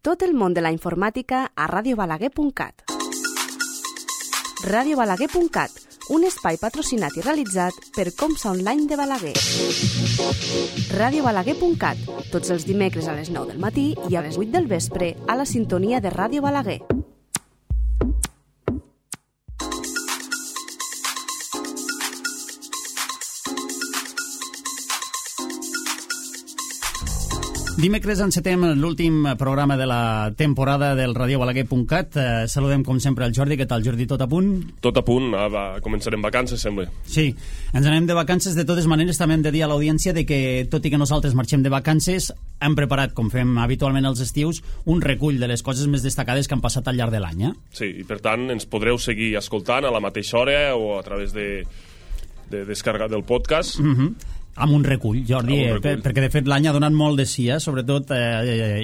Tot el món de la informàtica a radiobalaguer.cat. radiobalaguer.cat, un espai patrocinat i realitzat per Comsa Online de Balaguer. radiobalaguer.cat, tots els dimecres a les 9 del matí i a les 8 del vespre a la sintonia de Ràdio Balaguer. Dimecres encetem l'últim programa de la temporada del radiobalaguer.cat. Saludem, com sempre, el Jordi. Què tal, Jordi? Tot a punt? Tot a punt. Començarem vacances, sembla. Sí, ens anem de vacances. De totes maneres, també hem de dir a l'audiència de que, tot i que nosaltres marxem de vacances, hem preparat, com fem habitualment als estius, un recull de les coses més destacades que han passat al llarg de l'any. Sí, i per tant ens podreu seguir escoltant a la mateixa hora o a través de descarregar del podcast. Amb un recull, Jordi, perquè de fet l'any ha donat molt de sí, sobretot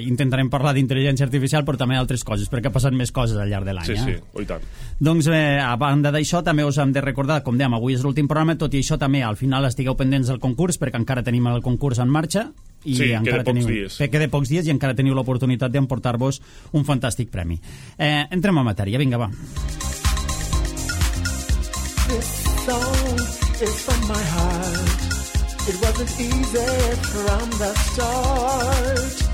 intentarem parlar d'intel·ligència artificial, però també d'altres coses, perquè ha passat més coses al llarg de l'any. Sí, i tant. Doncs a banda d'això també us hem de recordar, com dèiem, avui és l'últim programa, tot i això també al final estigueu pendents del concurs, perquè encara tenim el concurs en marxa. I sí, queda pocs dies. Queda pocs dies i encara teniu l'oportunitat d'emportar-vos un fantàstic premi. Entrem a matèria, vinga, va. This song is from my heart. It wasn't easy from the start.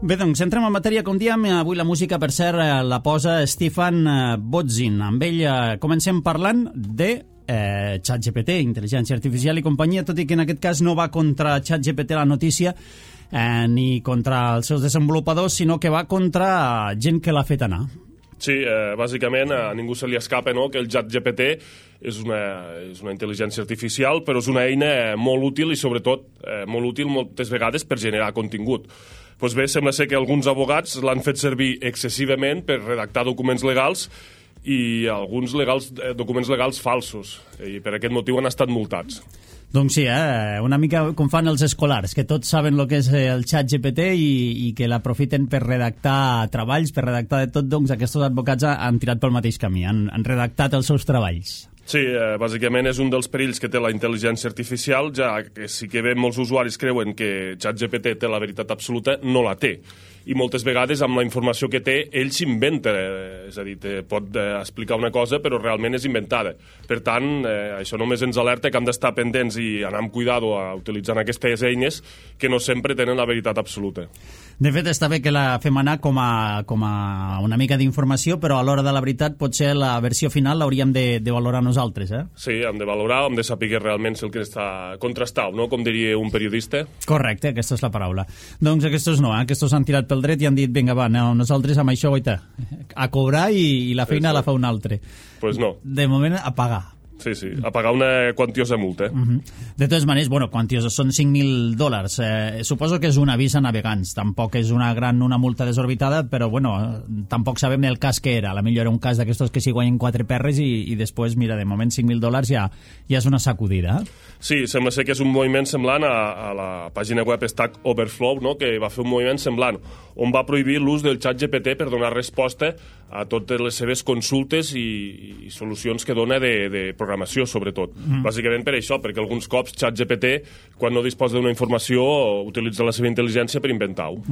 Bé, doncs, entrem en matèria, com diem. Avui la música, per cert, la posa Stefan Bodzin. Amb ell comencem parlant de ChatGPT, intel·ligència artificial i companyia, tot i que en aquest cas no va contra ChatGPT la notícia, ni contra els seus desenvolupadors, sinó que va contra gent que l'ha fet anar. Sí, bàsicament a ningú se li escapa, no?, que el ChatGPT és una intel·ligència artificial, però és una eina molt útil i sobretot molt útil moltes vegades per generar contingut. Doncs bé, sembla ser que alguns abogats l'han fet servir excessivament per redactar documents legals i alguns documents legals falsos, i per aquest motiu han estat multats. Doncs sí, una mica com fan els escolars, que tots saben el que és el ChatGPT i que l'aprofiten per redactar treballs, per redactar de tot. Doncs aquests advocats han tirat pel mateix camí, han redactat els seus treballs. Sí, bàsicament és un dels perills que té la intel·ligència artificial, ja que sí que bé molts usuaris creuen que ChatGPT té la veritat absoluta, no la té. I moltes vegades amb la informació que té ell s'inventa, és a dir, pot explicar una cosa però realment és inventada. Per tant, això només ens alerta que hem d'estar pendents i anar amb cuidado utilitzant aquestes eines que no sempre tenen la veritat absoluta. De fet, està bé que la fem anar com a una mica d'informació, però a l'hora de la veritat potser la versió final l'hauríem de valorar nosaltres, Sí, hem de valorar, hem de saber realment si el que està contrastat, no?, com diria un periodista. Correcte, aquesta és la paraula. Doncs aquests no, aquests han tirat pel dret i han dit, vinga, va, nosaltres amb això, goita, a cobrar i la feina la fa un altre. Pues no. De moment, a pagar. Sí, a pagar una quantiosa multa. De totes maneres, quantiosa, són $5.000. Suposo que és un avís a navegants. Tampoc és una multa desorbitada, però, tampoc sabem el cas que era. A la millor era un cas d'aquestos que s'hi guanyen 4 perres i després, mira, de moment $5.000 ja és una sacudida. Sí, sembla ser que és un moviment semblant a la pàgina web Stack Overflow, no?, que va fer un moviment semblant, on va prohibir l'ús del ChatGPT per donar resposta a totes les seves consultes i solucions que dona de programació, sobretot. Bàsicament per això, perquè alguns cops ChatGPT, quan no disposa d'una informació, utilitza la seva intel·ligència per inventar-ho.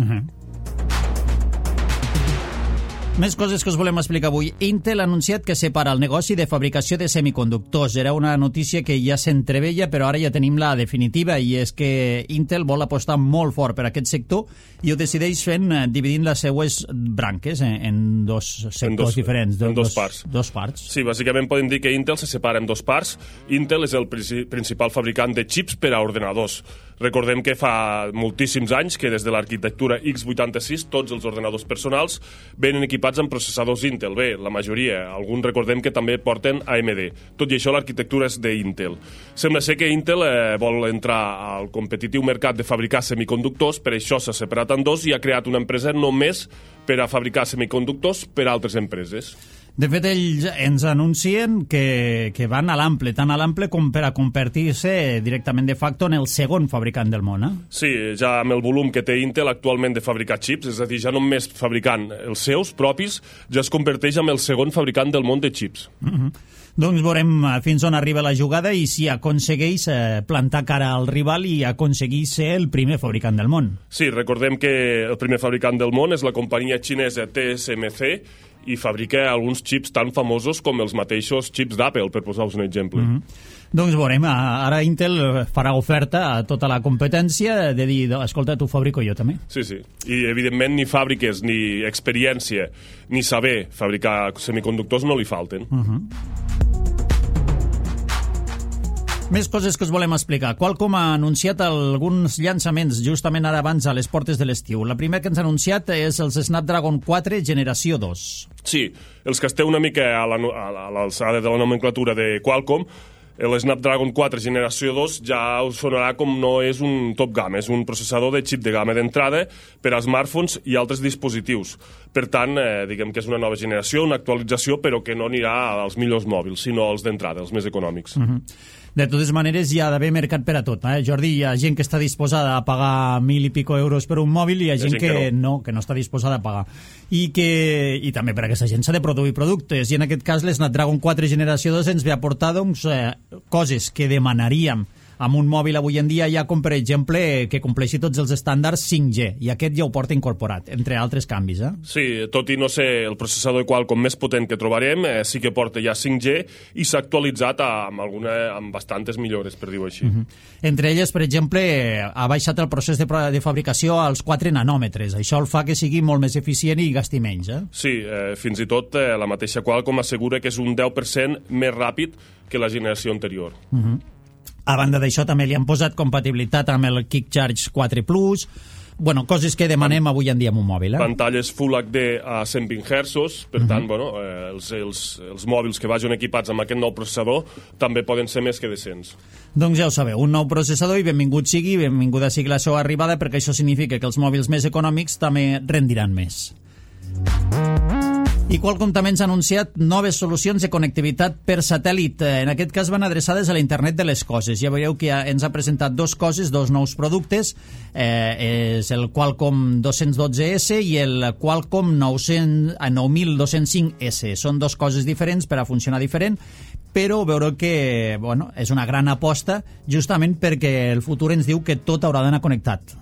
Més coses que us volem explicar avui. Intel ha anunciat que separa el negoci de fabricació de semiconductors. Era una notícia que ja s'entreveia, però ara ja tenim la definitiva, i és que Intel vol apostar molt fort per aquest sector i ho decideix dividint les seues branques en dos sectors diferents. En dos parts. Dos parts. Sí, bàsicament podem dir que Intel se separa en dos parts. Intel és el principal fabricant de xips per a ordenadors. Recordem que fa moltíssims anys que des de l'arquitectura x86 tots els ordenadors personals venen equipats amb processadors Intel. Bé, la majoria, alguns recordem que també porten AMD. Tot i això l'arquitectura és d'Intel. Sembla ser que Intel vol entrar al competitiu mercat de fabricar semiconductors, per això s'ha separat en dos i ha creat una empresa només per a fabricar semiconductors per a altres empreses. De fet, ells ens anuncien que van a l'ample, tant a l'ample com per a convertir-se directament de facto en el segon fabricant del món. Sí, ja amb el volum que té Intel actualment de fabricar xips, és a dir, ja només fabricant els seus propis, ja es converteix en el segon fabricant del món de xips. Doncs veurem fins on arriba la jugada i si aconsegueix plantar cara al rival i aconseguir ser el primer fabricant del món. Sí, recordem que el primer fabricant del món és la companyia xinesa TSMC i fabrica alguns xips tan famosos com els mateixos xips d'Apple, per posar-vos un exemple. Doncs veurem, ara Intel farà oferta a tota la competència de dir, escolta, t'ho fabrico jo també. Sí, sí. I evidentment ni fàbriques, ni experiència, ni saber fabricar semiconductors no li falten. Més coses que us volem explicar. Qualcomm ha anunciat alguns llançaments justament ara abans a les portes de l'estiu. La primera que ens ha anunciat és els Snapdragon 4 generació 2. Sí, els que esteu una mica a l'alçada de la nomenclatura de Qualcomm, el Snapdragon 4 generació 2 ja us sonarà com no és un top gamma, és un processador de xip de gamma d'entrada per a smartphones i altres dispositius. Per tant, diguem que és una nova generació, una actualització, però que no anirà als millors mòbils, sinó als d'entrada, els més econòmics. De totes maneres, hi ha d'haver mercat per a tot. Jordi, hi ha gent que està disposada a pagar 1.000 i pico euros per un mòbil i hi ha gent que no està disposada a pagar. I també per a aquesta gent s'ha de produir productes. I en aquest cas, l'Snapdragon 4 generació 2 ens ve a portar coses que demanaríem amb un mòbil avui en dia, ja com per exemple que compleixi tots els estàndards 5G, i aquest ja ho porta incorporat, entre altres canvis. Sí, tot i no ser el processador Qualcomm més potent que trobarem, sí que porta ja 5G i s'ha actualitzat amb bastantes millores, per dir-ho així. Entre elles, per exemple, ha baixat el procés de fabricació als 4 nanòmetres. Això el fa que sigui molt més eficient i gasti menys. Sí, fins i tot la mateixa Qualcomm assegura que és un 10% més ràpid que la generació anterior. A banda d'això, també li han posat compatibilitat amb el KickCharge 4 Plus, coses que demanem avui en dia amb un mòbil. Pantalles Full HD a 120 Hz, per tant, els mòbils que vagin equipats amb aquest nou processador també poden ser més que decents. Doncs ja ho sabeu, un nou processador i benvinguda sigui la seva arribada, perquè això significa que els mòbils més econòmics també rendiran més. I Qualcomm també ens ha anunciat noves solucions de connectivitat per satèl·lit. En aquest cas van adreçades a la internet de les coses. Ja veureu que ens ha presentat dos nous productes. És el Qualcomm 212S i el Qualcomm 9205S. Són dos coses diferents per a funcionar diferent, però veureu que és una gran aposta justament perquè el futur ens diu que tot haurà d'anar connectat.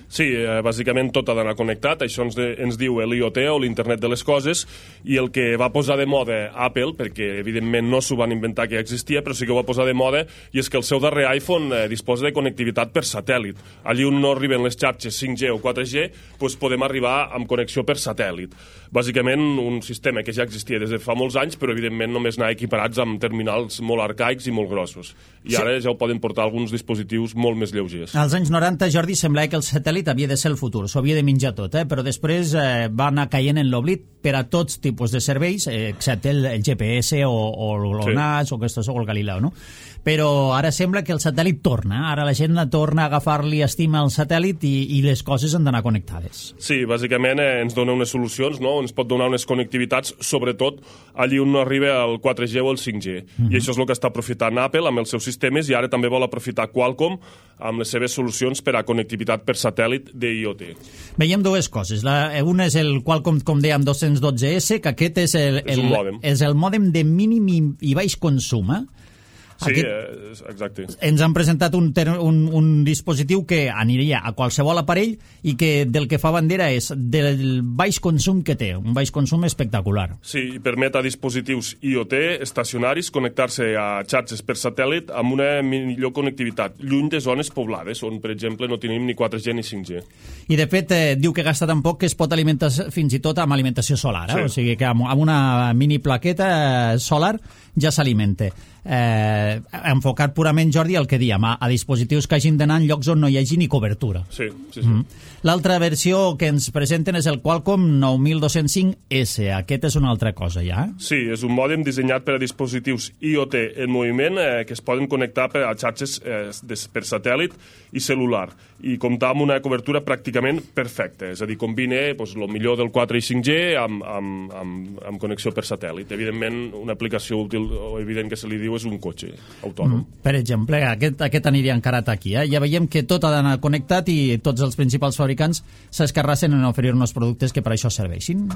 Sí, bàsicament tot ha d'anar connectat, això ens diu l'IoT o l'Internet de les Coses, i el que va posar de moda Apple, perquè evidentment no s'ho van inventar que ja existia, però sí que ho va posar de moda, i és que el seu darrer iPhone disposa de connectivitat per satèl·lit. Allí on no arriben les xarxes 5G o 4G, doncs podem arribar amb connexió per satèl·lit. Bàsicament un sistema que ja existia des de fa molts anys, però evidentment només anar equiparats amb terminals molt arcaics i molt grossos. I ara ja ho poden portar alguns dispositius molt més lleugers. Als anys 90, Jordi, semblava que el satèl·lit havia de ser el futur, s'ho havia de menjar tot, però després va anar caient en l'oblit per a tots tipus de serveis, excepte el GPS o l'ONAS o el Galileo, no? Però ara sembla que el satèl·lit torna, ara la gent torna a agafar-li estima al satèl·lit i les coses han d'anar connectades. Sí, bàsicament ens dona unes solucions, no? Ens pot donar unes connectivitats, sobretot allí on no arriba el 4G o el 5G. I això és el que està aprofitant Apple amb els seus sistemes, i ara també vol aprofitar Qualcomm amb les seves solucions per a connectivitat per satèl·lit d'IoT. Veiem dues coses. Una és el Qualcomm, com dèiem, 212S, que aquest és el mòdem de mínim i baix consum, Sí, exacte. Ens han presentat un dispositiu que aniria a qualsevol aparell i que del que fa bandera és del baix consum que té, un baix consum espectacular. Sí, i permet a dispositius IoT estacionaris connectar-se a xarxes per satèl·lit amb una millor connectivitat, lluny de zones poblades, on, per exemple, no tenim ni 4G ni 5G. I, de fet, diu que gasta tan poc que es pot alimentar fins i tot amb alimentació solar, o sigui que amb una mini plaqueta solar ja s'alimenta. enfocat purament, Jordi, el que diem, a dispositius que hagin d'anar en llocs on no hi hagi ni cobertura. Sí. L'altra versió que ens presenten és el Qualcomm 9205S. Aquest és una altra cosa, ja? Sí, és un mòdem dissenyat per a dispositius IoT en moviment que es poden connectar a xarxes per satèl·lit i cel·lular i comptar amb una cobertura pràcticament perfecta. És a dir, combina el millor del 4 i 5G amb connexió per satèl·lit. Evidentment, una aplicació útil o evident que se li diu és un cotxe autònom. Per exemple, aquest aniria encarat aquí. Ja veiem que tot ha d'anar connectat i tots els principals fabricants s'escarrassen en oferir-nos productes que per això serveixin.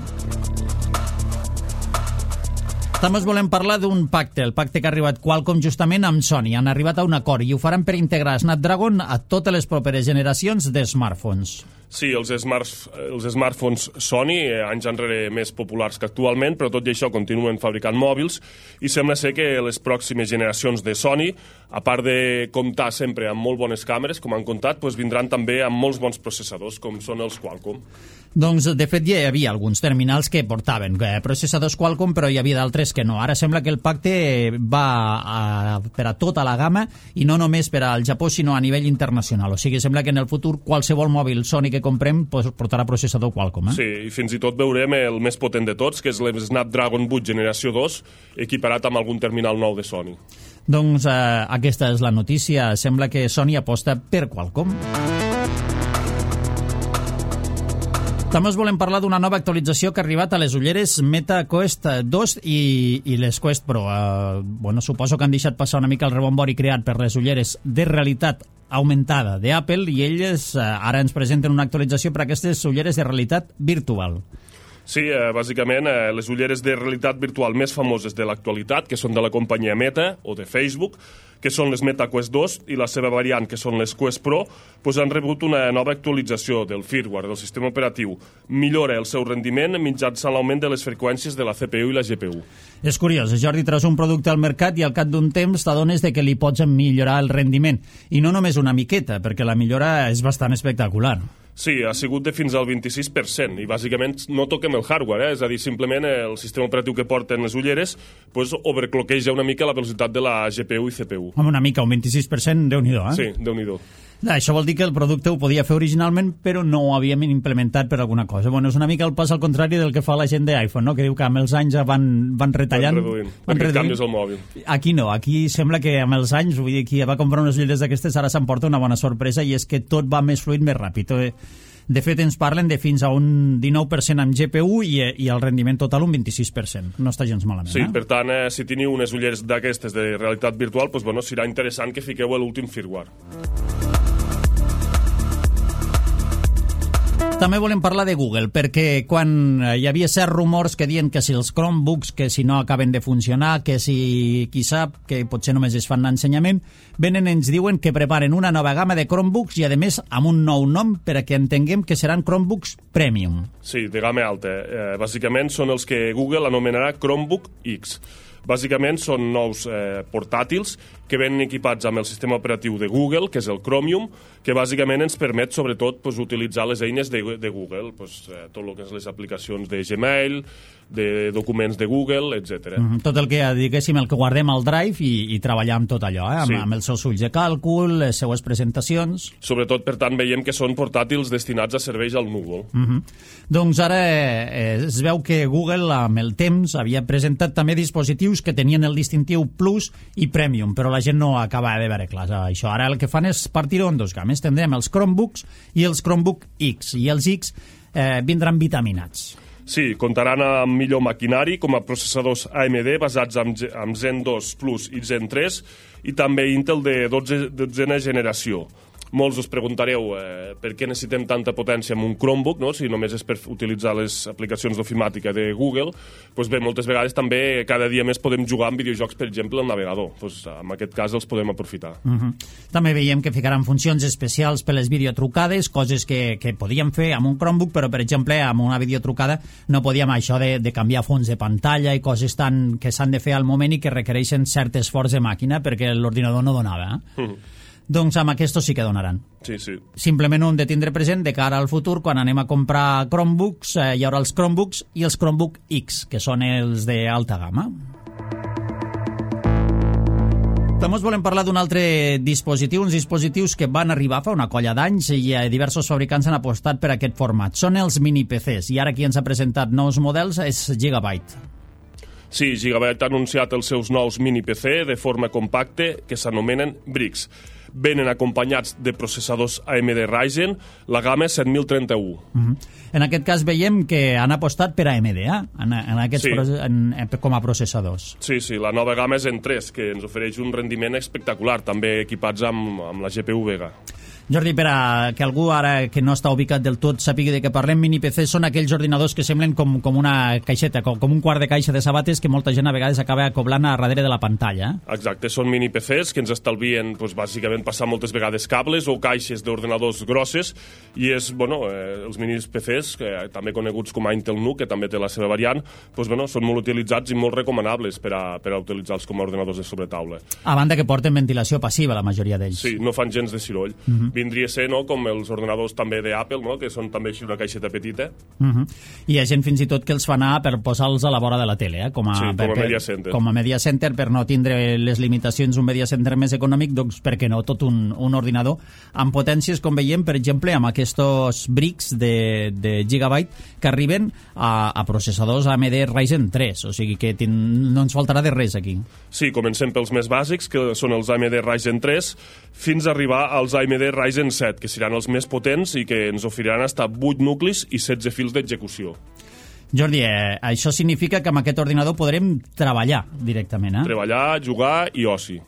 També us volem parlar d'un pacte, el pacte que ha arribat Qualcomm justament amb Sony. Han arribat a un acord i ho faran per integrar Snapdragon a totes les properes generacions de smartphones. Sí, els smartphones Sony, anys enrere més populars que actualment, però tot i això continuen fabricant mòbils i sembla ser que les pròximes generacions de Sony, a part de comptar sempre amb molt bones càmeres, com han comptat, vindran també amb molts bons processadors, com són els Qualcomm. Doncs, de fet, ja hi havia alguns terminals que portaven processadors Qualcomm, però hi havia d'altres que no. Ara sembla que el pacte va per a tota la gamma i no només per al Japó, sinó a nivell internacional. O sigui, sembla que en el futur qualsevol mòbil Sony que comprem portarà processador Qualcomm. Sí, i fins i tot veurem el més potent de tots, que és el Snapdragon 8 generació 2, equiparat amb algun terminal nou de Sony. Doncs aquesta és la notícia. Sembla que Sony aposta per Qualcomm. També us volem parlar d'una nova actualització que ha arribat a les ulleres Meta Quest 2 i les Quest Pro. Suposo que han deixat passar una mica el rebombori creat per les ulleres de realitat augmentada d'Apple i elles ara ens presenten una actualització per a aquestes ulleres de realitat virtual. Sí, bàsicament les ulleres de realitat virtual més famoses de l'actualitat, que són de la companyia Meta o de Facebook, que són les Meta Quest 2 i la seva variant, que són les Quest Pro, han rebut una nova actualització del firmware, del sistema operatiu. Millora el seu rendiment mitjançant l'augment de les freqüències de la CPU i la GPU. És curiós, Jordi, treus un producte al mercat i al cap d'un temps t'adones que li pots millorar el rendiment. I no només una miqueta, perquè la millora és bastant espectacular. Sí, ha sigut de fins al 26% i bàsicament no toquem el hardware, és a dir, simplement el sistema operatiu que porten les ulleres overcloqueja una mica la velocitat de la GPU i CPU. Home, una mica, un 26%, Déu-n'hi-do, Sí, Déu-n'hi-do. Això vol dir que el producte ho podia fer originalment, però no ho havíem implementat per alguna cosa. És una mica el pas al contrari del que fa la gent d'iPhone, no? Que diu que amb els anys van retallant... Van reduint. Canvies el mòbil. Aquí no, aquí sembla que amb els anys, vull dir, qui va comprar unes ulleres d'aquestes ara s'emporta una bona sorpresa i és que tot va més fluid, més ràpid. De fet, ens parlen de fins a un 19% amb GPU i el rendiment total un 26%. No està gens malament, Sí, per tant, si teniu unes ulleres d'aquestes de realitat virtual, serà interessant que fiqueu l'últim firmware. També volem parlar de Google, perquè quan hi havia certs rumors que diuen que si els Chromebooks, que si no acaben de funcionar, que si qui sap, que potser només es fan l'ensenyament, venen i ens diuen que preparen una nova gamma de Chromebooks i, a més, amb un nou nom per a que entenguem que seran Chromebooks Premium. Sí, de gamma alta. Bàsicament són els que Google anomenarà Chromebook X. Bàsicament són nous portàtils que venen equipats amb el sistema operatiu de Google, que és el Chromium, que bàsicament ens permet sobretot utilitzar les eines de Google, tot el que és les aplicacions de Gmail, de documents de Google, etc. Tot el que, diguéssim, el que guardem al Drive i treballar amb tot allò, Sí. amb els seus ulls de càlcul, les seues presentacions... Sobretot, per tant, veiem que són portàtils destinats a serveis al núvol. Doncs ara es veu que Google, amb el temps, havia presentat també dispositius que tenien el distintiu Plus i Premium, però la gent no acaba de veure clar això. Ara el que fan és partir-ho en dos gammes. Tindrem els Chromebooks i els Chromebook X, i els X vindran vitaminats. Sí, comptaran amb millor maquinari com a processadors AMD basats en Zen 2 Plus i Zen 3 i també Intel de 12ena generació. Molts us preguntareu per què necessitem tanta potència en un Chromebook, no? Si només és per utilitzar les aplicacions d'ofimàtica de Google. Doncs bé, moltes vegades també cada dia més podem jugar amb videojocs, per exemple, al navegador. Doncs en aquest cas els podem aprofitar. També veiem que ficaran funcions especials per les videotrucades, coses que podíem fer amb un Chromebook, però, per exemple, amb una videotrucada no podíem això de canviar fons de pantalla i coses que s'han de fer al moment i que requereixen cert esforç de màquina perquè l'ordinador no donava. Doncs amb aquests sí que donaran. Sí, sí. Simplement ho hem de tindre present de cara al futur, quan anem a comprar Chromebooks, hi haurà els Chromebooks i els Chromebook X, que són els d'alta gamma. També us volem parlar d'un altre dispositiu, uns dispositius que van arribar fa una colla d'anys i diversos fabricants han apostat per aquest format. Són els mini-PCs i ara qui ens ha presentat nous models és Gigabyte. Sí, Gigabyte ha anunciat els seus nous mini-PC de forma compacte que s'anomenen Bricks. Venen acompanyats de processadors AMD Ryzen, la gamma 7031. En aquest cas veiem que han apostat per AMD, com a processadors. Sí, la nova gamma és en 3, que ens ofereix un rendiment espectacular, també equipats amb la GPU Vega. Jordi, per a que algú ara que no està ubicat del tot sàpiga de què parlem, mini-PC són aquells ordinadors que semblen com una caixeta, com un quart de caixa de sabates que molta gent a vegades acaba acoblant a darrere de la pantalla. Exacte, són mini-PCs que ens estalvien bàsicament passar moltes vegades cables o caixes d'ordinadors grosses i és, els mini-PCs, també coneguts com a Intel NUC, que també té la seva variant, són molt utilitzats i molt recomanables per a utilitzar-los com a ordinadors de sobretaula. A banda que porten ventilació passiva, la majoria d'ells. Sí, no fan gens de soroll. Vindria a ser com els ordinadors també d'Apple, que són també així una caixeta petita. I hi ha gent fins i tot que els fa anar per posar-los a la vora de la tele, com a media center. Com a media center, per no tindre les limitacions d'un media center més econòmic, doncs per què no tot un ordinador amb potències, com veiem, per exemple, amb aquests Bricks de Gigabyte que arriben a processadors AMD Ryzen 3, o sigui que no ens faltarà de res aquí. Sí, comencem pels més bàsics, que són els AMD Ryzen 3, fins a arribar als AMD Ryzen 7, que seran els més potents i que ens oferiran fins a 8 nuclis i 16 fils d'execució. Jordi, això significa que amb aquest ordinador podrem treballar directament, Treballar, jugar i oci.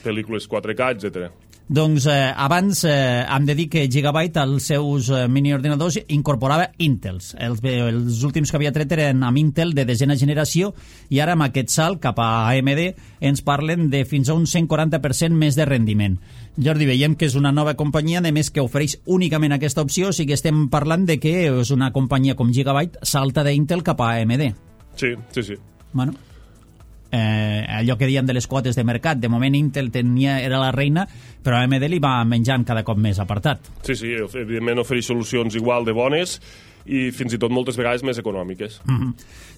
Pel·lícules 4K, etc. Doncs abans hem de dir que Gigabyte als seus miniordinadors incorporava Intels. Els últims que havia tret eren amb Intel de 10ª generació i ara amb aquest salt cap a AMD ens parlen de fins a un 140% més de rendiment. Jordi, veiem que és una nova companyia, a més que ofereix únicament aquesta opció, o sigui que estem parlant de que és una companyia com Gigabyte salta d'Intel cap a AMD. Sí. Bueno, allò que diem de les quotes de mercat, de moment Intel era la reina, però AMD li va menjant cada cop més apartat. Sí, evidentment ofereix solucions igual de bones i fins i tot moltes vegades més econòmiques.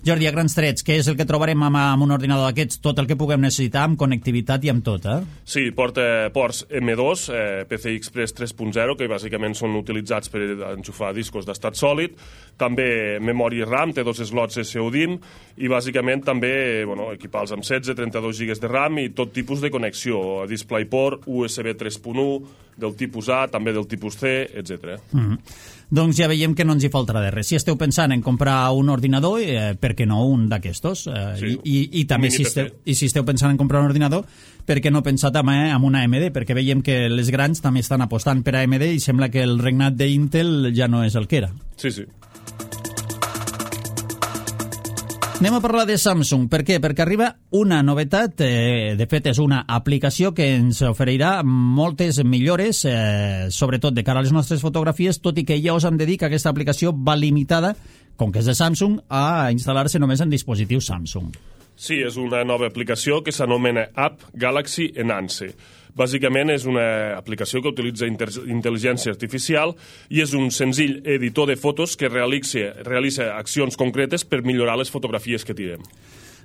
Jordi, a grans trets, què és el que trobarem amb un ordinador d'aquests? Tot el que puguem necessitar, amb connectivitat i amb tot, Sí, porta ports M2, PCI Express 3.0, que bàsicament són utilitzats per enxufar discos d'estat sòlid, també memòria RAM, té 2 slots SODIMM, i bàsicament també equipar-los amb 16, 32 GB de RAM i tot tipus de connexió, DisplayPort, USB 3.1, del tipus A, també del tipus C, etc. Doncs ja veiem que no ens hi faltarà de res. Si esteu pensant en comprar un ordinador, per què no un d'aquestos? I també si esteu pensant en comprar un ordinador, per què no pensar també en una AMD? Perquè veiem que les grans també estan apostant per AMD i sembla que el regnat d'Intel ja no és el que era. Sí. Anem a parlar de Samsung. Per què? Perquè arriba una novetat, de fet és una aplicació que ens oferirà moltes millores, sobretot de cara a les nostres fotografies, tot i que ja us hem de dir que aquesta aplicació va limitada, com que és de Samsung, a instal·lar-se només en dispositius Samsung. Sí, és una nova aplicació que s'anomena App Galaxy Enhance. Bàsicament és una aplicació que utilitza intel·ligència artificial i és un senzill editor de fotos que realitza accions concretes per millorar les fotografies que tirem.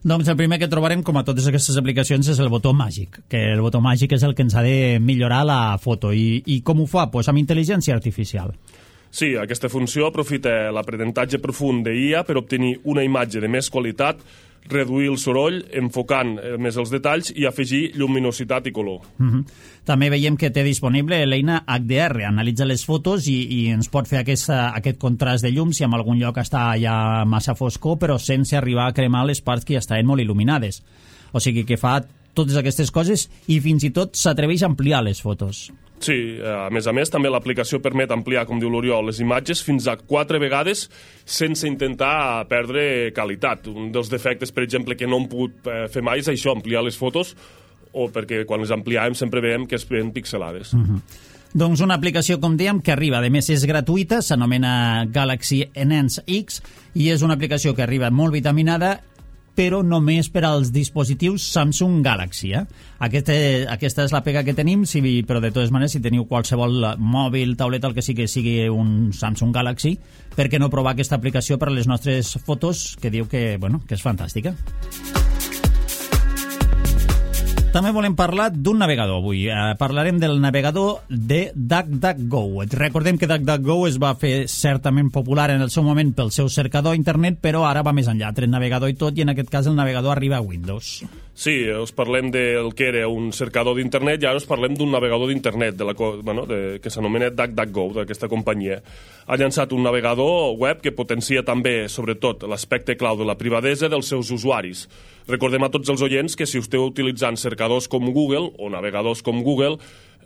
Doncs el primer que trobarem, com a totes aquestes aplicacions, és el botó màgic, que el botó màgic és el que ens ha de millorar la foto. I com ho fa? Doncs amb intel·ligència artificial. Sí, aquesta funció aprofita l'aprenentatge profund d'IA per obtenir una imatge de més qualitat, reduir el soroll, enfocant més els detalls i afegir lluminositat i color. També veiem que té disponible l'eina HDR, analitza les fotos i ens pot fer aquest contrast de llum si en algun lloc està ja massa foscor, però sense arribar a cremar les parts que ja estaven molt il·luminades. O sigui que fa totes aquestes coses i fins i tot s'atreveix a ampliar les fotos. Sí, a més, també l'aplicació permet ampliar, com diu l'Oriol, les imatges fins a 4 vegades sense intentar perdre qualitat. Un dels defectes, per exemple, que no hem pogut fer mai és això, ampliar les fotos, o perquè quan les ampliàvem sempre veiem que es veuen pixelades. Doncs una aplicació, com dèiem, que arriba, a més és gratuïta, s'anomena Galaxy Enhance X, i és una aplicació que arriba molt vitaminada, però només per als dispositius Samsung Galaxy. Aquesta és la pega que tenim, però de totes maneres, si teniu qualsevol mòbil, tauleta, el que sigui un Samsung Galaxy, per què no provar aquesta aplicació per a les nostres fotos, que diu que és fantàstica. També volem parlar d'un navegador avui. Parlarem del navegador de DuckDuckGo. Recordem que DuckDuckGo es va fer certament popular en el seu moment pel seu cercador internet, però ara va més enllà, tret navegador i tot, i en aquest cas el navegador arriba a Windows. Sí, us parlem del que era un cercador d'internet i ara us parlem d'un navegador d'internet que s'anomena DuckDuckGo, d'aquesta companyia. Ha llançat un navegador web que potencia també, sobretot, l'aspecte clau de la privadesa dels seus usuaris. Recordem a tots els oients que si esteu utilitzant cercadors com Google o navegadors com Google,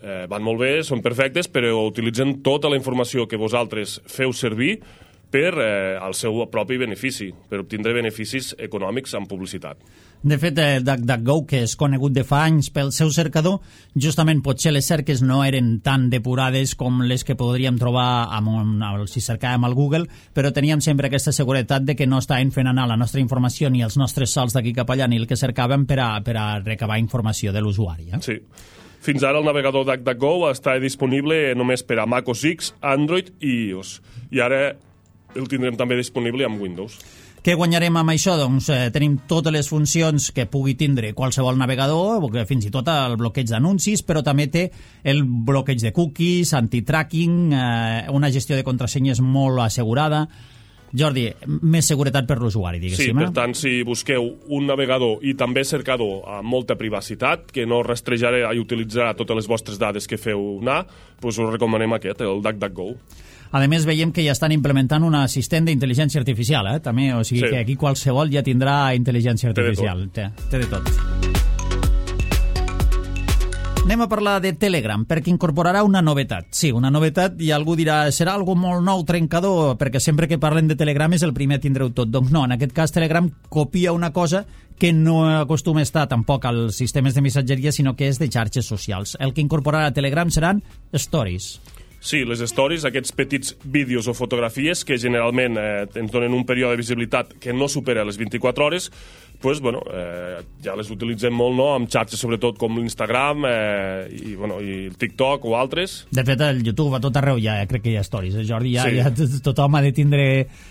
van molt bé, són perfectes, però utilitzen tota la informació que vosaltres feu servir per al seu propi benefici, per obtindre beneficis econòmics amb publicitat. De fet, DuckDuckGo, que és conegut de fa anys pel seu cercador, justament potser les cerques no eren tan depurades com les que podríem trobar si cercàvem al Google, però teníem sempre aquesta seguretat de que no estaven fent anar la nostra informació ni els nostres salts d'aquí cap allà ni el que cercàvem per a recabar informació de l'usuari. Sí. Fins ara el navegador DuckDuckGo està disponible només per a Mac OS X, Android i iOS. I ara el tindrem també disponible amb Windows. Què guanyarem amb això? Doncs tenim totes les funcions que pugui tindre qualsevol navegador, fins i tot el bloqueig d'anuncis, però també té el bloqueig de cookies, anti-tracking, una gestió de contrasenyes molt assegurada. Jordi, més seguretat per l'usuari, diguéssim. Sí, per tant, si busqueu un navegador i també cercador amb molta privacitat, que no rastrejarà i utilitzarà totes les vostres dades que feu anar, doncs us recomanem aquest, el DuckDuckGo. A més, veiem que ja estan implementant un assistent d'intel·ligència artificial, també, o sigui que aquí qualsevol ja tindrà intel·ligència artificial. Té de tot. Anem a parlar de Telegram, perquè incorporarà una novetat. Sí, una novetat, i algú dirà, serà algo molt nou, trencador, perquè sempre que parlen de Telegram és el primer a tindreu tot. Doncs no, en aquest cas Telegram copia una cosa que no acostuma a estar tampoc als sistemes de missatgeria, sinó que és de xarxes socials. El que incorporarà Telegram seran stories. Sí, les stories, aquests petits vídeos o fotografies que generalment ens donen un període de visibilitat que no supera les 24 hores, pues, ja les utilitzem molt, no?, amb xarxes sobretot com l'Instagram i el TikTok o altres. De fet, el YouTube a tot arreu ja crec que hi ha stories, Jordi, ja tothom ha de tindre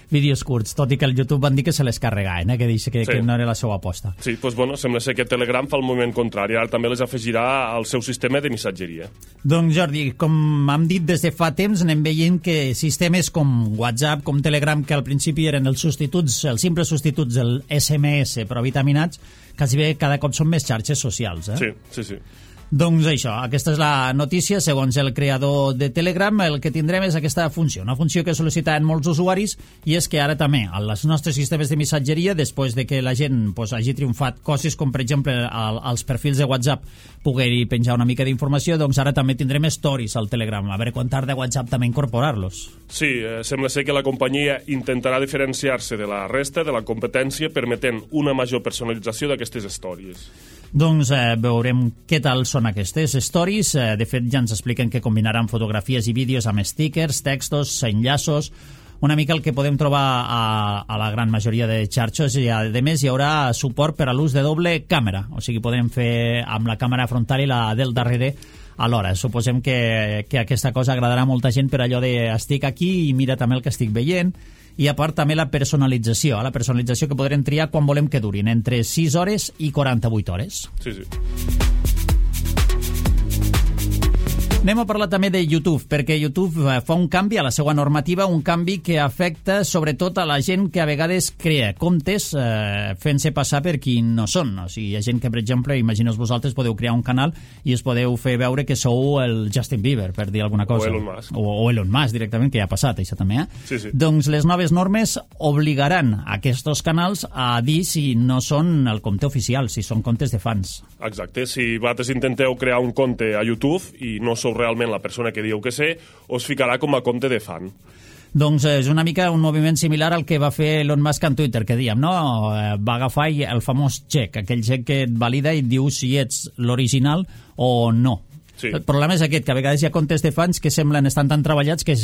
vídeos curts, tot i que el YouTube van dir que se les carregaven, que dice que no era la seva aposta. Sí, doncs sembla ser que Telegram fa el moviment contrari, ara també les afegirà al seu sistema de missatgeria. Doncs Jordi, com hem dit des de fa temps, anem veient que sistemes com WhatsApp, com Telegram, que al principi eren els simples substituts del SMS, però vitaminats, quasi bé cada cop són més xarxes socials. Sí. Doncs això, aquesta és la notícia. Segons el creador de Telegram, el que tindrem és aquesta funció, una funció que sol·licitaven molts usuaris, i és que ara també, als nostres sistemes de missatgeria, després de que la gent hagi triomfat coses com, per exemple, als perfils de WhatsApp poder-hi penjar una mica d'informació, doncs ara també tindrem stories al Telegram. A veure quan tarda WhatsApp també incorporar-los. Sí, sembla ser que la companyia intentarà diferenciar-se de la resta de la competència permetent una major personalització d'aquestes stories. Doncs veurem què tal són aquestes stories. De fet, ja ens expliquen que combinaran fotografies i vídeos amb stickers, textos, enllaços, una mica el que podem trobar a la gran majoria de xarxes, i a més hi haurà suport per a l'ús de doble càmera, o sigui, podem fer amb la càmera frontal i la del darrere alhora. Suposem que aquesta cosa agradarà a molta gent per allò de estic aquí i mira també el que estic veient. I a part també la personalització que podrem triar quan volem que durin, entre 6 hores i 48 hores. Sí. Anem a parlar també de YouTube, perquè YouTube fa un canvi a la seva normativa, un canvi que afecta sobretot a la gent que a vegades crea comptes fent-se passar per qui no són. O sigui, hi ha gent que, per exemple, imagineu vosaltres, podeu crear un canal i us podeu fer veure que sou el Justin Bieber, per dir alguna cosa. O Elon Musk. O Elon Musk, directament, que ja ha passat, això també. Sí. Doncs les noves normes obligaran aquests canals a dir si no són el compte oficial, si són comptes de fans. Exacte, si vosaltres intenteu crear un compte a YouTube i no sou realment la persona que dieu que sé, us ficarà com a compte de fan. Doncs és una mica un moviment similar al que va fer Elon Musk en Twitter, que dèiem, no? Va agafar el famós xec, aquell xec que et valida i et diu si ets l'original o no. Sí. El problema és aquest, que a vegades hi ha comptes de fans que estan tan treballats que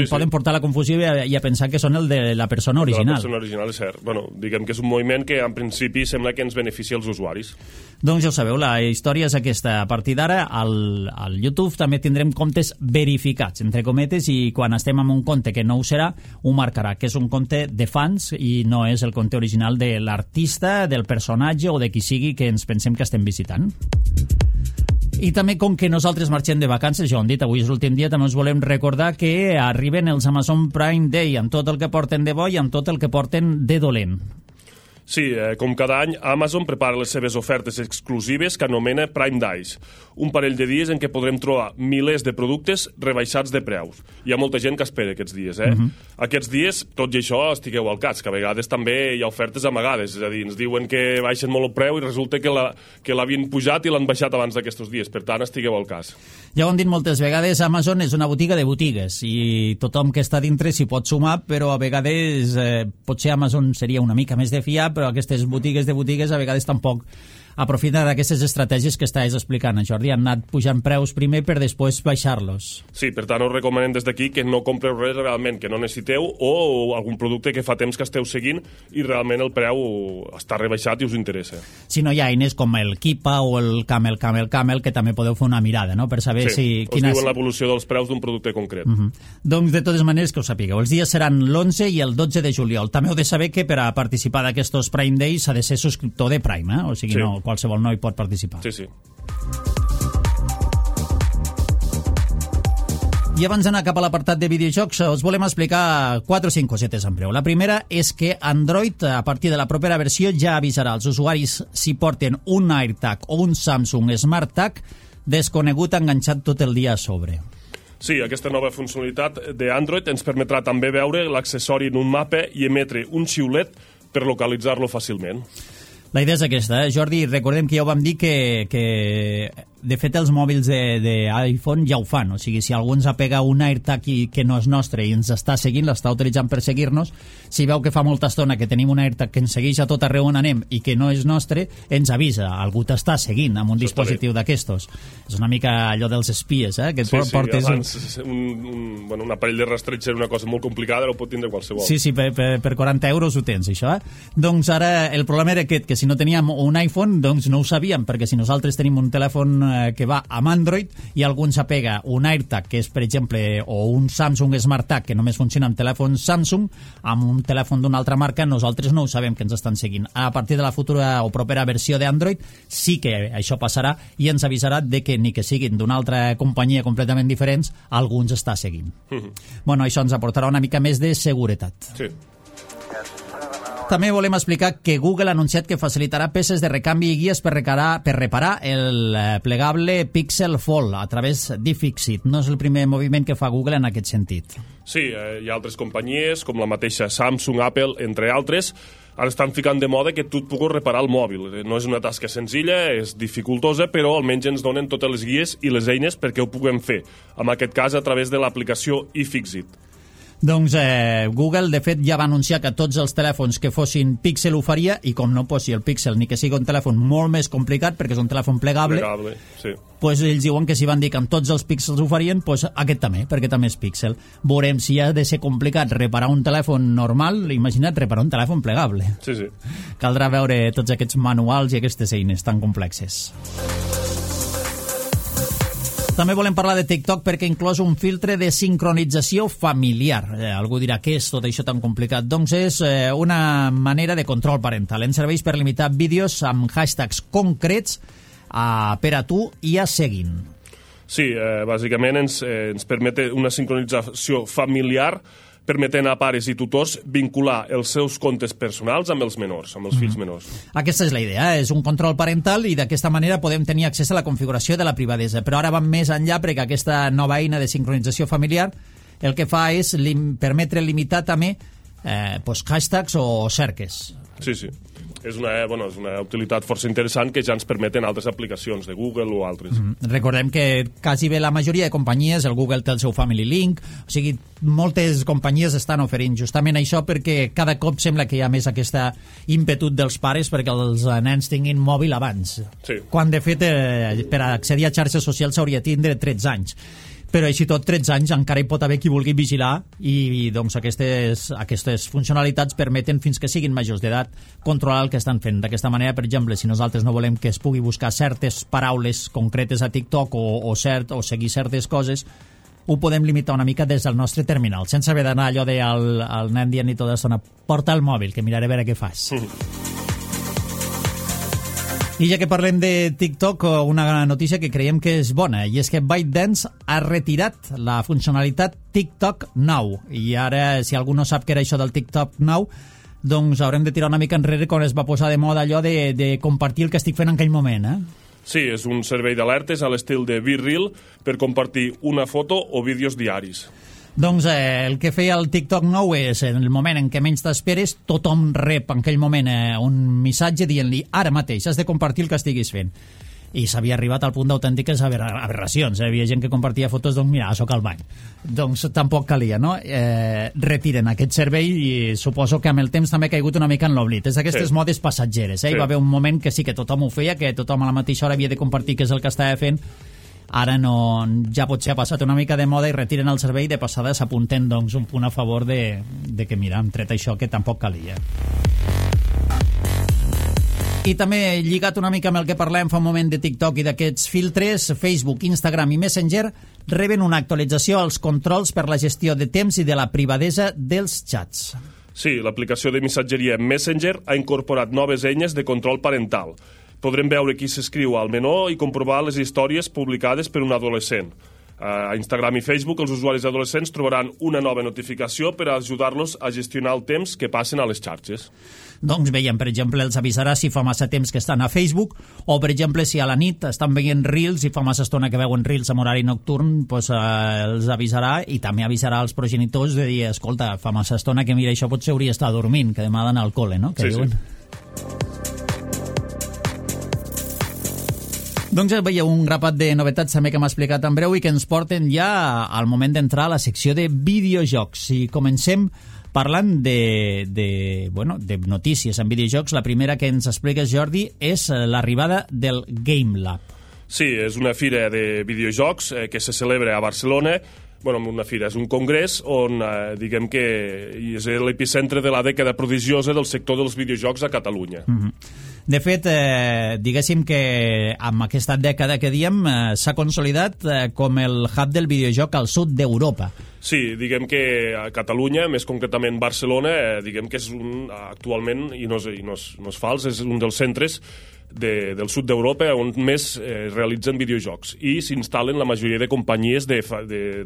poden portar la confusió i a pensar que són el de la persona original. La persona original, és cert. Bueno, diguem que és un moviment que en principi sembla que ens beneficia els usuaris. Doncs ja ho sabeu, la història és aquesta. A partir d'ara, al YouTube també tindrem comptes verificats, entre cometes, i quan estem amb un compte que no ho serà, ho marcarà, que és un compte de fans i no és el compte original de l'artista, del personatge o de qui sigui que ens pensem que estem visitant. I també, com que nosaltres marxem de vacances, ja ho hem dit, avui és l'últim dia, també us volem recordar que arriben els Amazon Prime Day, amb tot el que porten de bo i amb tot el que porten de dolent. Sí, com cada any, Amazon prepara les seves ofertes exclusives que anomena Prime Days, un parell de dies en què podrem trobar milers de productes rebaixats de preus. Hi ha molta gent que espera aquests dies, Aquests dies, tot i això, estigueu al cas, que a vegades també hi ha ofertes amagades, és a dir, ens diuen que baixen molt el preu i resulta que l'havien pujat i l'han baixat abans d'aquests dies, per tant, estigueu al cas. Ja ho hem dit moltes vegades, Amazon és una botiga de botigues i tothom que està dintre s'hi pot sumar, però a vegades potser Amazon seria una mica més de fiar, però aquestes botigues de botigues a vegades tampoc aprofiten d'aquestes estratègies que estàs explicant, Jordi. Han anat pujant preus primer per després baixar-los. Sí, per tant, us recomanem des d'aquí que no compreu res realment que no necessiteu o algun producte que fa temps que esteu seguint i realment el preu està rebaixat i us interessa. Si no, hi ha eines com el Kipa o el Camel, que també podeu fer una mirada, no?, per saber us diuen l'evolució dels preus d'un producte concret. Doncs, de totes maneres, que ho sapigueu. Els dies seran l'11 i el 12 de juliol. També heu de saber que per a participar d'aquests Prime Days s'ha de ser subscriptor de Prime, o sigui, no qualsevol no hi pot participar. Sí. I abans d'anar cap a l'apartat de videojocs, us volem explicar 4 o 5 cosetes en breu. La primera és que Android, a partir de la propera versió, ja avisarà als usuaris si porten un AirTag o un Samsung SmartTag desconegut enganxat tot el dia a sobre. Sí, aquesta nova funcionalitat d'Android ens permetrà també veure l'accessori en un mapa i emetre un xiulet per localitzar-lo fàcilment. La idea és aquesta, Jordi. Recordem que ja ho vam dir que de fet, els mòbils d'iPhone ja ho fan. O sigui, si algú ens apega un AirTag que no és nostre i ens està seguint, l'està utilitzant per seguir-nos, si veu que fa molta estona que tenim un AirTag que ens segueix a tot arreu on anem i que no és nostre, ens avisa. Algú t'està seguint amb un dispositiu d'aquestos. És una mica allò dels espies, que et portes... Abans un aparell de rastreig era una cosa molt complicada, ara ho pot tindre qualsevol. Sí, per 40 euros ho tens, això. Doncs ara el problema era aquest, que si no teníem un iPhone, doncs no ho sabíem, perquè si nosaltres tenim un telèfon que va amb Android i algú ens apega un AirTag, que és, per exemple, o un Samsung SmartTag, que només funciona amb telèfon Samsung, amb un telèfon d'una altra marca, nosaltres no ho sabem que ens estan seguint. A partir de la futura o propera versió d'Android sí que això passarà i ens avisarà de que ni que siguin d'una altra companyia completament diferents, algú ens està seguint. Bueno, això ens aportarà una mica més de seguretat. Sí. També volem explicar que Google ha anunciat que facilitarà peces de recanvi i guies per reparar el plegable Pixel Fold a través d'iFixit. No és el primer moviment que fa Google en aquest sentit. Sí, hi ha altres companyies, com la mateixa Samsung, Apple, entre altres, ara estan ficant de moda que tu et puguis reparar el mòbil. No és una tasca senzilla, és dificultosa, però almenys ens donen totes les guies i les eines perquè ho puguem fer. En aquest cas, a través de l'aplicació iFixit. Doncs Google, de fet, ja va anunciar que tots els telèfons que fossin Pixel ho faria, i com no posi el Pixel ni que sigui un telèfon molt més complicat, perquè és un telèfon plegable, sí. Pues ells diuen que si van dir que amb tots els Pixels ho farien, pues aquest també, perquè també és Pixel. Veurem si ha de ser complicat reparar un telèfon normal, imagina't reparar un telèfon plegable. Sí. Caldrà veure tots aquests manuals i aquestes eines tan complexes. També volem parlar de TikTok perquè ha inclòs un filtre de sincronització familiar. Algú dirà, què és tot això tan complicat? Doncs és una manera de control parental. Ens serveix per limitar vídeos amb hashtags concrets per a tu i a seguint. Sí, bàsicament ens permet una sincronització familiar permetent a pares i tutors vincular els seus comptes personals amb els menors, amb els fills menors. Aquesta és la idea, és un control parental i d'aquesta manera podem tenir accés a la configuració de la privadesa. Però ara vam més enllà perquè aquesta nova eina de sincronització familiar el que fa és permetre limitar també hashtags o cerques. Sí. És una utilitat força interessant que ja ens permeten altres aplicacions de Google o altres. Recordem que quasi bé la majoria de companyies, el Google té el seu Family Link, o sigui, moltes companyies estan oferint justament això perquè cada cop sembla que hi ha més aquesta ímpetu dels pares perquè els nens tinguin mòbil abans. Sí. Quan, de fet, per accedir a xarxes socials s'hauria de tindre 13 anys. Però així tot, 13 anys encara hi pot haver qui vulgui vigilar i doncs aquestes funcionalitats permeten fins que siguin majors d'edat controlar el que estan fent. D'aquesta manera, per exemple, si nosaltres no volem que es pugui buscar certes paraules concretes a TikTok o seguir certes coses, ho podem limitar una mica des del nostre terminal, sense haver d'anar allò del nen dient-li tota l'estona porta el mòbil, que miraré a veure què fas. I ja que parlem de TikTok, una notícia que creiem que és bona, i és que ByteDance ha retirat la funcionalitat TikTok Now. I ara, si algú no sap què era això del TikTok Now, doncs haurem de tirar una mica enrere quan es va posar de moda allò de compartir el que estic fent en aquell moment, Sí, és un servei d'alertes a l'estil de BeReal per compartir una foto o vídeos diaris. Doncs el que feia el TikTok Now és, en el moment en què menys t'esperes, tothom rep en aquell moment un missatge dient-li ara mateix has de compartir el que estiguis fent. I s'havia arribat al punt d'autèntiques aberracions. Hi havia gent que compartia fotos, doncs mira, soc al bany. Doncs tampoc calia, no? Retiren aquest servei i suposo que amb el temps també ha caigut una mica en l'oblit. És d'aquestes modes passatgeres. Hi va haver un moment que sí que tothom ho feia, que tothom a la mateixa hora havia de compartir què és el que estava fent. Ara no, ja potser ha passat una mica de moda i retiren el servei i de passada s'apunten doncs, un punt a favor de que, mira, hem tret això que tampoc calia. I també, lligat una mica amb el que parlem fa un moment de TikTok i d'aquests filtres, Facebook, Instagram i Messenger reben una actualització als controls per la gestió de temps i de la privadesa dels xats. Sí, l'aplicació de missatgeria Messenger ha incorporat noves eines de control parental. Podrem veure qui s'escriu al menú i comprovar les històries publicades per un adolescent. A Instagram i Facebook, els usuaris adolescents trobaran una nova notificació per ajudar-los a gestionar el temps que passen a les xarxes. Doncs veiem, per exemple, els avisarà si fa massa temps que estan a Facebook o, per exemple, si a la nit estan veient Reels i fa massa estona que veuen Reels en horari nocturn, doncs els avisarà i també avisarà als progenitors de dir, escolta, fa massa estona que mira, això potser hauria d'estar dormint, que demà ha d'anar al col·le, no? Que sí, diuen. Sí. Doncs ja veieu un grapat de novetats també que m'ha explicat en breu i que ens porten ja al moment d'entrar a la secció de videojocs. I comencem parlant de notícies en videojocs. La primera que ens expliques, Jordi, és l'arribada del Game Lab. Sí, és una fira de videojocs que se celebra a Barcelona. Una fira, és un congrés on diguem que és l'epicentre de la dècada prodigiosa del sector dels videojocs a Catalunya. De fet, diguéssim que amb aquesta dècada que diem s'ha consolidat com el hub del videojoc al sud d'Europa. Sí, diguem que a Catalunya, més concretament Barcelona, diguem que és actualment, i no és fals, és un dels centres del sud d'Europa on més realitzen videojocs i s'instal·len la majoria de companyies de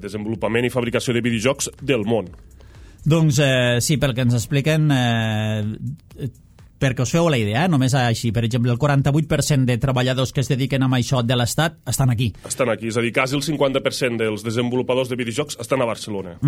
desenvolupament i fabricació de videojocs del món. Doncs sí, pel que ens expliquen, perquè us feu la idea, només així, per exemple, el 48% de treballadors que es dediquen a això de l'Estat estan aquí. Estan aquí, és a dir, quasi el 50% dels desenvolupadors de videojocs estan a Barcelona.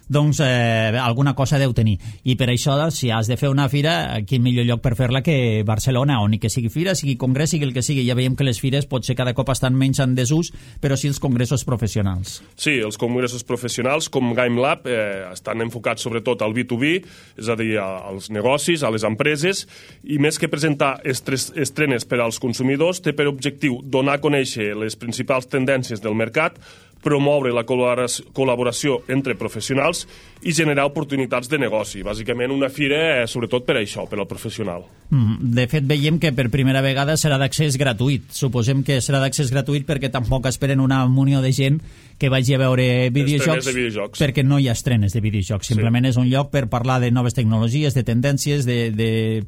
Doncs alguna cosa deu tenir. I per això, si has de fer una fira, quin millor lloc per fer-la que Barcelona, on ni que sigui fira, sigui congrés, sigui el que sigui. Ja veiem que les fires potser cada cop estan menys en desús, però sí els congressos professionals. Sí, els congressos professionals, com Game Lab, estan enfocats sobretot al B2B, és a dir, als negocis, a les empreses, i més que presentar estrenes per als consumidors, té per objectiu donar a conèixer les principals tendències del mercat, promoure la col·laboració entre professionals i generar oportunitats de negoci. Bàsicament una fira sobretot per això, per al professional. De fet, veiem que per primera vegada serà d'accés gratuït. Suposem que serà d'accés gratuït perquè tampoc esperen una munió de gent que vagi a veure videojocs, perquè no hi ha estrenes de videojocs. Simplement és un lloc per parlar de noves tecnologies, de tendències,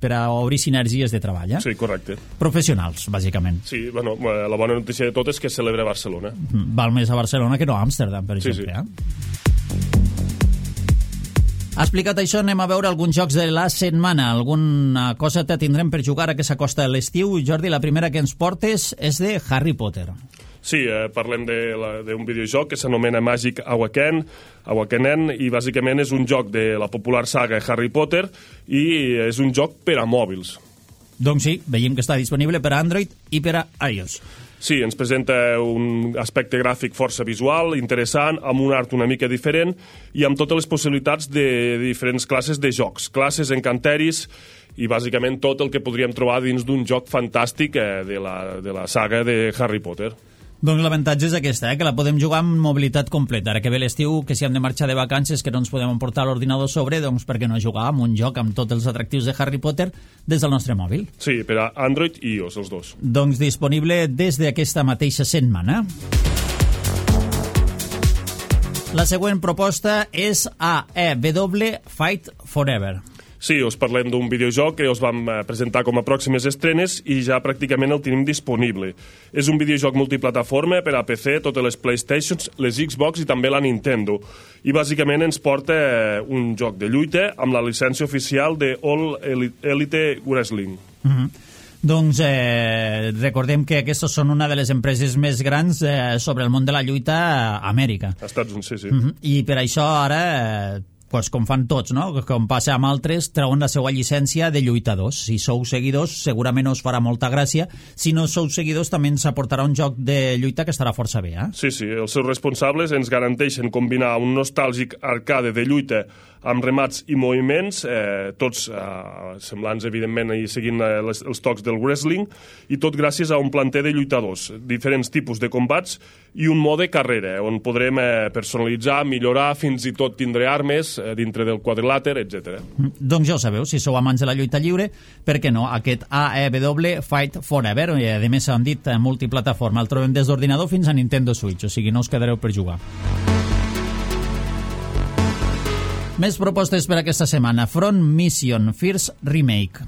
per a obrir sinergies de treball. Sí, correcte. Professionals, bàsicament. Sí, la bona notícia de tot és que es celebra a Barcelona. Val més a Barcelona que no a Amsterdam, per exemple. Ha explicat això, anem a veure alguns jocs de la setmana. Alguna cosa tindrem per jugar a que s'acosta l'estiu. Jordi, la primera que ens portes és de Harry Potter. Sí, parlem d'un videojoc que s'anomena Magic Awakening i bàsicament és un joc de la popular saga Harry Potter i és un joc per a mòbils. Doncs sí, veiem que està disponible per a Android i per a iOS. Sí, ens presenta un aspecte gràfic força visual, interessant, amb un art una mica diferent i amb totes les possibilitats de diferents classes de jocs, classes, encanteris i bàsicament tot el que podríem trobar dins d'un joc fantàstic de la saga de Harry Potter. Doncs l'avantatge és aquesta, que la podem jugar amb mobilitat completa. Ara que ve l'estiu, que si hem de marxar de vacances, que no ens podem emportar l'ordinador sobre, doncs per què no jugar amb un joc amb tots els atractius de Harry Potter des del nostre mòbil? Sí, per a Android i iOS, els dos. Doncs disponible des d'aquesta mateixa setmana. La següent proposta és AEW Fight Forever. Sí, us parlem d'un videojoc que us vam presentar com a pròximes estrenes i ja pràcticament el tenim disponible. És un videojoc multiplataforma per a PC, totes les PlayStations, les Xbox i també la Nintendo. I bàsicament ens porta un joc de lluita amb la llicència oficial de All Elite Wrestling. Doncs recordem que aquestes són una de les empreses més grans sobre el món de la lluita a Amèrica. Estats Units, sí. I per això ara... pues com fan tots, no? Com passa amb altres, treuen la seva llicència de lluitadors. Si sou seguidors, segurament us farà molta gràcia. Si no sou seguidors, també ens aportarà un joc de lluita que estarà força bé, eh? Sí, els seus responsables ens garanteixen combinar un nostàlgic arcade de lluita amb remats i moviments, tots semblants, evidentment, i seguint els tocs del wrestling, i tot gràcies a un planter de lluitadors, diferents tipus de combats i un mode carrera, on podrem personalitzar, millorar, fins i tot tindre armes dintre del quadrilàter, etc. Doncs ja ho sabeu, si sou amants de la lluita lliure, per què no? Aquest AEW Fight Forever, a més han dit multiplataforma, el trobem des d'ordinador fins a Nintendo Switch, o sigui, no us quedareu per jugar. Més propostes per aquesta setmana. Front Mission First Remake.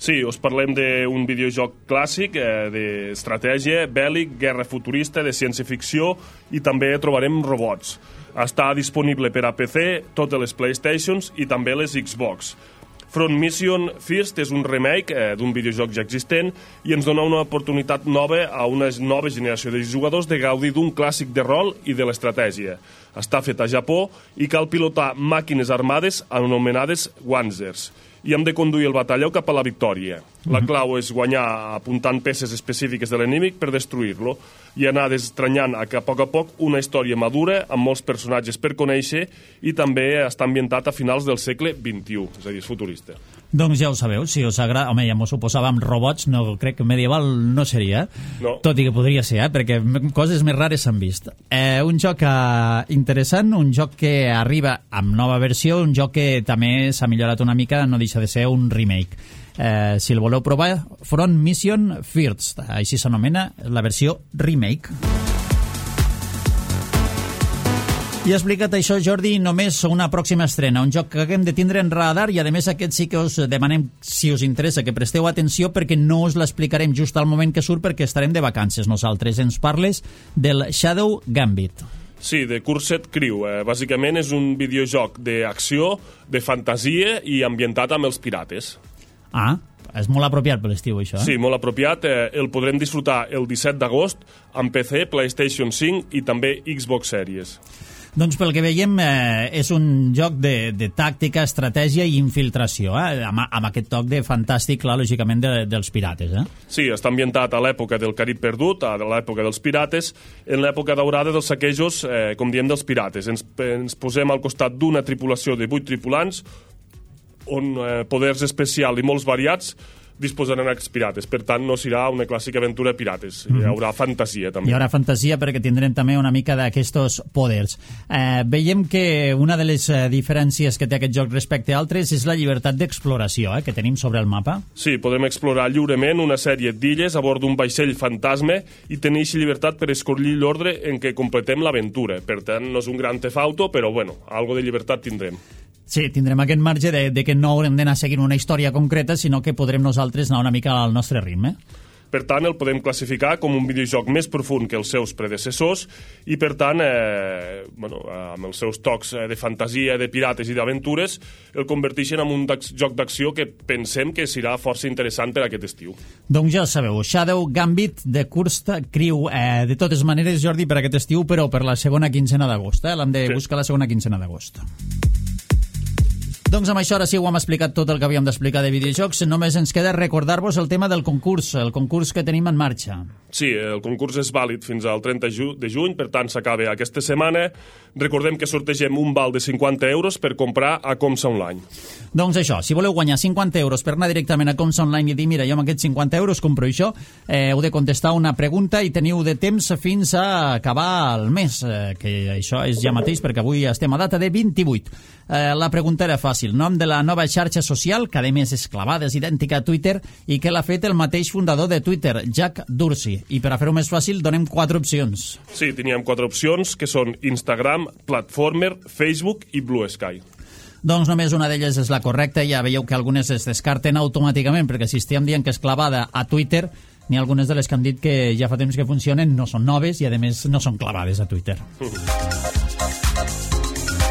Sí, us parlem d'un videojoc clàssic d'estratègia, bèl·lic, guerra futurista, de ciència-ficció i també trobarem robots. Està disponible per a PC, totes les PlayStations i també les Xbox. Front Mission First és un remake d'un videojoc ja existent i ens dona una oportunitat nova a una nova generació de jugadors de gaudir d'un clàssic de rol i de l'estratègia. Està fet a Japó i cal pilotar màquines armades anomenades Wanzers i hem de conduir el batalló cap a la victòria. La clau és guanyar apuntant peces específiques de l'enemic per destruir-lo i anar destranyant a poc una història madura amb molts personatges per conèixer i també està ambientat a finals del segle XXI, és a dir, és futurista. Doncs ja ho sabeu, si us agrada... Home, ja m'ho suposàvem, robots, no crec que medieval no seria, no. Tot i que podria ser, perquè coses més rares s'han vist. Un joc interessant, un joc que arriba amb nova versió, un joc que també s'ha millorat una mica, no deixa de ser un remake. Si el voleu provar, Front Mission First, així s'anomena la versió remake. I explicat això, Jordi, només una pròxima estrena, un joc que hem de tindre en radar i a més aquest sí que us demanem, si us interessa, que presteu atenció perquè no us l'explicarem just al moment que surt perquè estarem de vacances nosaltres. Ens parles del Shadow Gambit. Sí, de Cursed Crew. Bàsicament és un videojoc d'acció, de fantasia i ambientat amb els pirates. Ah, és molt apropiat per l'estiu, això, eh? Sí, molt apropiat. El podrem disfrutar el 17 d'agost amb PC, PlayStation 5 i també Xbox Series. Doncs pel que veiem és un joc de tàctica, estratègia i infiltració, amb aquest toc de fantàstic, clar, lògicament, dels pirates. Sí, està ambientat a l'època del Carib perdut, a l'època dels pirates, en l'època daurada dels saquejos, com diem, dels pirates. Ens posem al costat d'una tripulació de 8 tripulants, on poders especials i molts variats disposaran aquests pirates. Per tant, no serà una clàssica aventura de pirates. Hi haurà fantasia, també. Hi haurà fantasia perquè tindrem també una mica d'aquests poders. Veiem que una de les diferències que té aquest joc respecte a altres és la llibertat d'exploració que tenim sobre el mapa. Sí, podem explorar lliurement una sèrie d'illes a bord d'un vaixell fantasma i tenir aquesta llibertat per escollir l'ordre en què completem l'aventura. Per tant, no és un gran Theft Auto, però, bueno, algo de llibertat tindrem. Sí, tindrem aquest marge de que no haurem d'anar seguint una història concreta, sinó que podrem nosaltres anar una mica al nostre ritme. Per tant, el podem classificar com un videojoc més profund que els seus predecessors i, per tant, amb els seus tocs de fantasia, de pirates i d'aventures, el converteixen en un joc d'acció que pensem que serà força interessant per aquest estiu. Doncs ja sabeu, Shadow Gambit de Cursed Crew. De totes maneres, Jordi, per aquest estiu, però per la segona quincena d'agost. L'hem de buscar la segona quincena d'agost. Doncs amb això ara sí ho hem explicat tot el que havíem d'explicar de videojocs. Només ens queda recordar-vos el tema del concurs, el concurs que tenim en marxa. Sí, el concurs és vàlid fins al 30 de juny, per tant s'acaba aquesta setmana. Recordem que sortegem un val de 50 euros per comprar a Comsa Online. Doncs això, si voleu guanyar 50 euros per anar directament a Comsa Online i dir, mira, jo amb aquests 50 euros compro això, heu de contestar una pregunta i teniu de temps fins a acabar el mes, que això és ja mateix perquè avui estem a data de 28. La pregunta era fàcil, nom de la nova xarxa social, que a més és clavada, és idèntica a Twitter i que l'ha fet el mateix fundador de Twitter, Jack Dorsey. I per a fer-ho més fàcil donem 4 opcions. Sí, teníem 4 opcions, que són Instagram, Platformer, Facebook i Blue Sky. Doncs només una d'elles és la correcta, ja veieu que algunes es descarten automàticament, perquè si estem dient que és clavada a Twitter, n'hi ha algunes de les que han dit que ja fa temps que funcionen, no són noves i a més no són clavades a Twitter.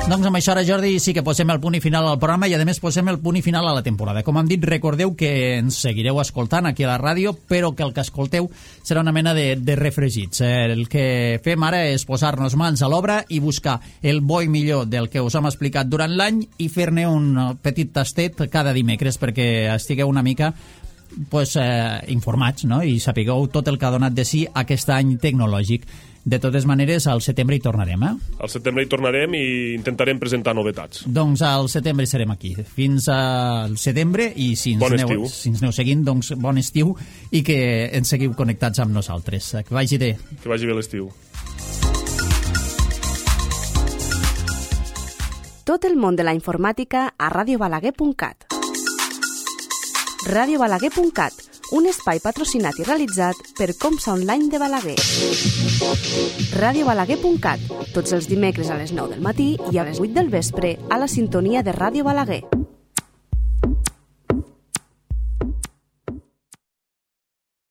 Doncs amb això ara, Jordi, sí que posem el punt i final al programa i a més posem el punt i final a la temporada. Com hem dit, recordeu que ens seguireu escoltant aquí a la ràdio, però que el que escolteu serà una mena de refregits. El que fem ara és posar-nos mans a l'obra i buscar el bo i millor del que us hem explicat durant l'any i fer-ne un petit tastet cada dimecres perquè estigueu una mica informats, no? I sapigueu tot el que ha donat de si aquest any tecnològic. De totes maneres, al setembre hi tornarem, Al setembre hi tornarem i intentarem presentar novetats. Doncs al setembre serem aquí. Fins al setembre i si ens aneu seguint, doncs bon estiu i que ens seguiu connectats amb nosaltres. Que vagi bé. Que vagi bé l'estiu. Tot el món de la informàtica a radiobalaguer.cat. radiobalaguer.cat, un espai patrocinat i realitzat per Comsa Online de Balaguer. radiobalaguer.cat, tots els dimecres a les 9 del matí i a les 8 del vespre a la sintonia de Ràdio Balaguer.